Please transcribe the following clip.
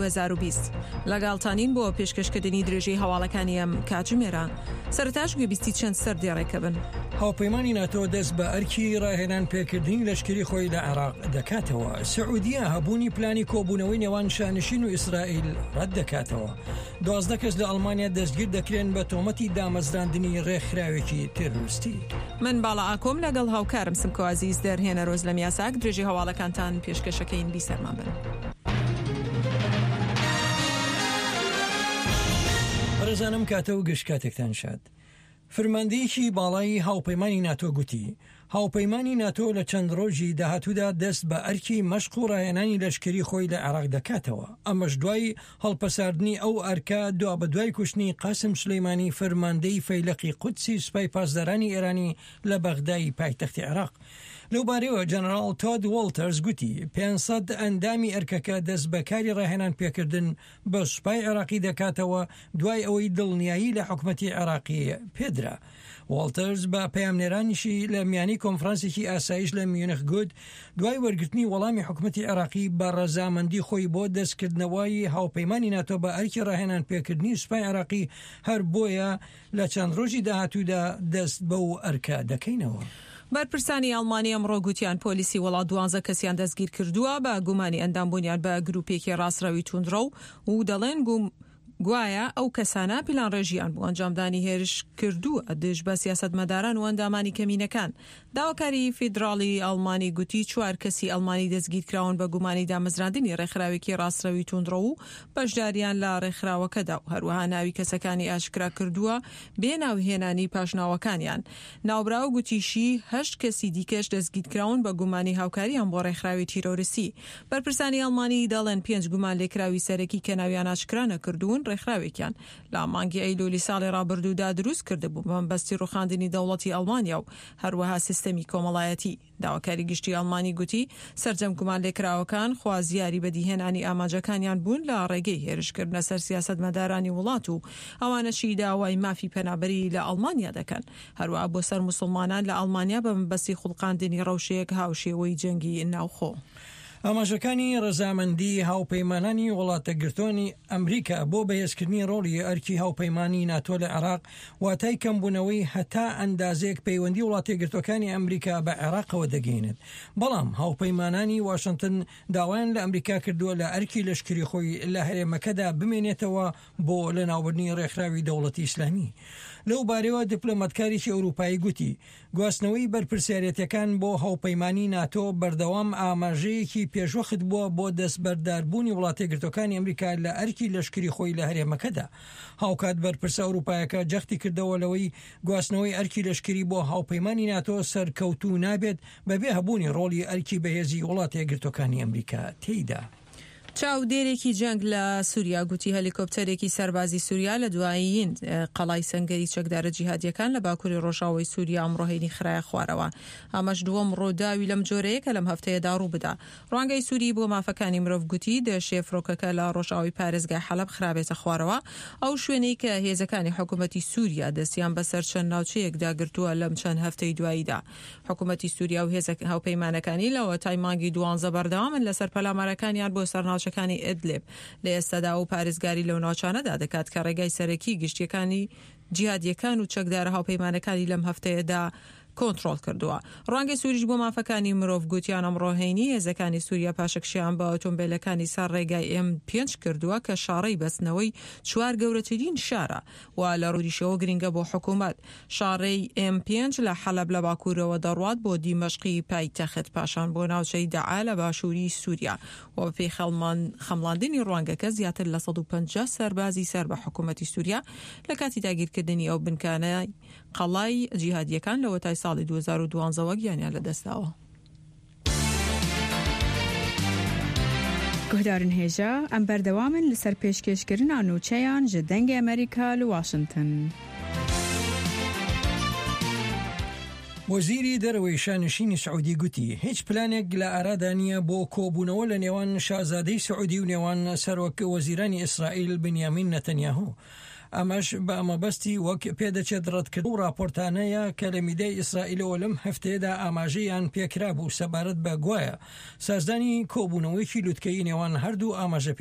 2020 لەگەڵتانین بۆ پێشکەشکردنی درێژەی هەواڵەکانی ئەم کاتژمێرە. سەرەتاش گوێبیستی چەند سەردێڕێکە بن. هاوپەیمانی ناتۆ دەست بە ئەرکی ڕاهێنان پێکردنی لەشکری خۆی لە عێراق دەکاتەوە. سعودیە هەبوونی پلانی کۆبوونەوەی نێوان شانشین و ئیسرائیل ڕەت دەکاتەوە. 12 کەس لە ئەڵمانیا دەستگیر دەکرێن بە تۆمەتی دامەزراندنی ڕێکخراوێکی تێرۆریستی. من باڵا ئاکۆم لەگەڵ هاوکارم سمکۆ عەزیز دەرهێنەر ئۆزلەم یاساک درێژەی هەواڵەکانتان پێشکەشەکەین بیسەرمان بن. بەڕێزانم کاتە و گشت کاتێکتان شاد. فرماندەیەکی باڵای هاوپەیمانی ناتۆ گوتی، هاوپەیمانی ناتۆ لە چەند ڕۆژی داهاتوودا دەست بە ئەرکی مەشق و ڕاهێنانی لەشکری خۆی لە عێراق دەکاتەوە، ئەمەش دوای هەڵپەساردنی ئەو ئەرکە دوابەدوای کوشتنی قاسم سولەیمانی فەرماندەی فەیلەقی قودسی سوپای پاسدارانی ئێرانی لە بەغدای پایتەختی عێراق. لەوبارەیەوە جەنەراڵ تۆد وۆڵتەرز گوتی، 500 ئەندامی ئەرکەکە دەست بە کاری ڕاهێنان پێکردن بە سوپای عێراقی دەکاتەوە دوای ئەوەی دڵنیایی لە حکومەتی عێراقی پێدرا. واڵتەرز بە پەیامنێرانیشی لە میانی کۆنفرانسێکی ئاسایش لە میونخ گوت، دوای وەرگرتنی وەڵامی حکومەتی عێراقی بە ڕەزامەندی خۆی بۆ دەستکردنەوەی هاوپەیمانی ناتۆ بە ئەرکی ڕاهێنان پێکردنی سوپای عێراقی هەر بۆیە لە چەند ڕۆژی داهاتوودا دەست بەو ئەرکە دەکەینەوە. بەرپرسانی ئەڵمانی ئەمڕۆ گوتیان پۆلیسی وڵات دوانزە کەسیان دەستگیرکردووە بە گومانی ئەندامبوونیان بە گروپێکی ڕاستڕەوی توندڕەو و دەڵێن گوایە ئەو کەسانە پیلانڕێژییان بۆ ئەنجامدانی هێرش کردووە دژ بە سیاسەتمەداران و ئەندامانی کەمینەکان. داواکاری فیدراڵی ئەڵمانی گوتی چوار کەسی ئەڵمانی دەستگیرکراون بە گومانی دامەزراندنی ڕێکخراوێکی ڕاستڕەوی توندڕەو و بەشداریان لە ڕێکخراوەکەدا و هەروەها ناوی کەسەکانی ئاشکرا کردووە بێ ناوهێنانی پاشناوەکانیان. ناوبراو گوتیشی هەشت کەسی دیکەش دەستگیرکراون بە گومانی هاوکاریان بۆ ڕێکخراوی تیرۆرستی. بەرپرسانی ئەڵمانی دەڵێن پێنج گومانلێکراوی سەرەکی کە ناویان ئاشکرا نەکردوون ڕێکخراوێکیان لە مانگی ئەیلولی ساڵی ڕابردوودا دروست کردبوو بە مەبەستی ڕوخاندنی دەوڵەتی ئەڵمانیا و هەروەها سیستەمی کۆمەڵایەتی. داواکاری گشتی ئەڵمانی گوتی سەرجەم گومانلێکراوەکان خوازیاری بەدیهێنانی ئامانجەکانیان بوون لە ڕێگەی هێرشکردنە سەر سیاسەتمەدارانی وڵات و ئەوانەشی داوای مافی پەنابەری لە ئەڵمانیا دەکەن. هەروەها بۆ سەر موسڵمانان لە ئەڵمانیا بە مەبەستی خوڵقاندنی ڕەوشێک هاوشێوەی جەنگی ناوخۆ. ئاماژەکانی ڕەزامەندی هاوپەیمانانی وڵاتەکگرتوانی ئەمریکا بۆ بەهێزکردنی ڕۆڵی ئەرکی هاوپەیمانی ناتۆ لە عێراق واتای کەمبوونەوەی هەتا ئەندازەیەک پەیوەندی وڵاتەیەکگرتوەکانی ئەمریکا بە عێراقەوە دەگەینێت بەڵام هاوپەیمانانی واشنتن داوایان لە ئەمریکا کردووە لە ئەرکی لەشکری خۆی لە هەرێمەکەدا بمێنێتەوە بۆ لەناوبردنی ڕێکخراوی دەوڵەتی ئیسلامی. لەو بارەیەوە دیپلۆماتکارێکی ئەوروپایی گوتی، گواستنەوەی بەرپرسیارێتیەکان بۆ هاوپەیمانی ناتۆ بەردەوام ئاماژەیەکی پێشوەخت بووە بۆ دەستبەرداربوونی وڵاتەیەکگرتووەکانی ئەمریکا لە ئەرکی لەشکری خۆی لە هەرێمەکەدا. هاوکات بەرپرسە ئەوروپایەکە جەختی کردەوە لەوەی گواستنەوەی ئەرکی لەشکری بۆ هاوپەیمانی ناتۆ سەرکەوتوو نابێت بەبێ هەبوونی ڕۆڵی ئەرکی بەهێزی وڵاتەیەکگرتووەکانی ئەمریکا تێیدا. چاودێرێکی جەنگ لە سوریا گوتی هەلیکۆپتەرێکی سەربازی سوریا لە دوایین قەڵای سەنگەری چەکدارە جیهادیەکان لە باکوری ڕۆژاوای سوریا ئەمڕۆ هەینی خرایە خوارەوە. ئەمەش دووەم ڕووداوی لەم جۆرەیە کە لەم هەفتەیەدا ڕووبدا. ڕوانگەی سوری بۆ مافەکانی مرۆڤ گوتی دەشێ فڕۆکەکە لە ڕۆژاوای پارێزگای حەلەب خرابێتە خوارەوە، ئەو شوێنەی کە هێزەکانی حکومەتی سوریا دەستیان بەسەر چەند ناوچەیەکدا گرتووە لەم چەند هەفتەی دواییدا. حکومەتی سوریا و هێزە هاوپەیمانەکانی لەوەتای مانگی دوانزە بەردەوامن لەسەر پەلامارەکانیان بۆ سەر ناوچەکانی ئیدلیب لە ئێستادا و پارێزگاری لەو ناوچانەدا دەکات کە ڕێگای سەرەکی گشتیەکانی جیهادیەکان و چەکدارە هاوپەیمانەکانی لەم هەفتەیەدا کۆنتڕۆڵ کردووە. ڕوانگەی سوریش بۆ مافەکانی مرۆڤ گوتیان ئەمڕۆ هەینی هێزەکانی سوریا پاشەکشەیان بە ئۆتۆمبێلەکانی سەر ڕێگای ئێم پێنج کردووە کە شاڕێی بەستنەوەی چوار گەورەترین شارە و لە ڕوویشەوە گرنگە بۆ حکوومەت. شاڕێی ئێم پێنج لە حەلەب لە باکوورەوە دەڕوات بۆ دیمەشقی پایتەخت، پاشان بۆ ناوچەی دەعا لە باشووری سووریا و بەپێی خەمڵاندنی ڕوانگەکە زیاتر لە 150 سەربازی سەر بە حکوومەتی سووریا لە کاتی داگیرکردنی ئەو بنکانەی قەڵای جیهادییەکان لەوەتای ساڵی 2012 وە گیانیان لەدەستداوە. Guhdarên hêja, em berdewam in li ser pêşkêşkirina nûçeyan ji Dengê Amerîka li Washington. وەزیری دەرەوەی شانشینی سعودی گوتی، هیچ پلانێک لە ئارادا نییە بۆ کۆبوونەوە لە نێوان شازادەی سعودی و نێوان سەرۆک وەزیرانی ئیسرائیل بنیامین نەتەنیاهۆ. ئەمەش بە مەبەستی وەک پێدەچێت ڕەتکردنەوەی ئەو ڕاپۆرتانەیە کە لە میدیای ئیسرائیلەوە لەم هەفتەیەدا ئاماژەیان پێکرابوو سەبارەت بە گوایە سازدانی کۆبوونەوەیەکی لوتکەیی نێوان هەردوو ئاماژە.